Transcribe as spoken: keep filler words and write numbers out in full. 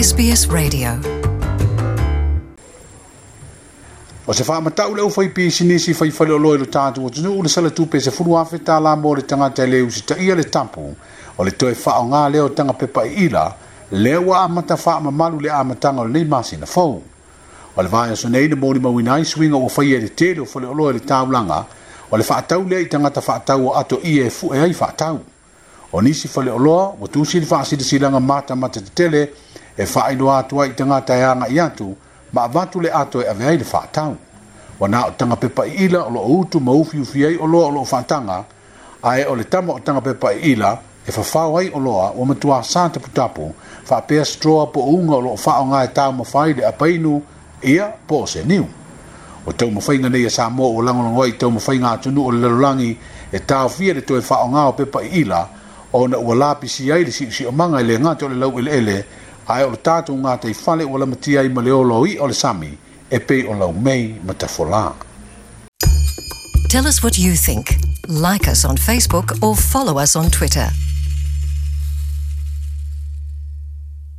S B S Radio. O se faamatau le aufai pisinisi fai faleoloa i lo tatou atunuu le sala tupe sefulu afe tala mo le tagata e le usitaia le tapu o le toe faaaoga lea o taga pepa iila lea ua amata faamamalu le amataga o lenei masina fou. O le vaiaso nei na molimauina ai suiga ua faia i le tele o faleoloa i le taulaga o le faatau lea i tagata faatau o ato ie e fue ai faatau. O nisi faleoloa ua tusi le faasilasilaga matamata tetele e faailoa atu ai i tagata e agai atu ma avatu le ato e ave ai le faatau. Ua na o taga pepa iila o loo utu ma ufiufi ai oloa o loo faataga, ae o le tama o taga pepa iila e fafao ai oloa ua matuā sa taputapu faapea straw po o uga o loo faaaoga e taumafai le apainu ia po o se niu. O taumafaiga nei a Samoa ua lagolago ai i taumafaiga atunuu o le lalolagi e taofia le toe faaaoga o pepa iila ona ua lapisi ai le siusiumaga e le gata o le laueleele ae o le tatou gataifale ua lamatia ai ma le ola o i'a o le sami e pei o laumei ma tafolā. Tell us what you think. Like us on Facebook or follow us on Twitter.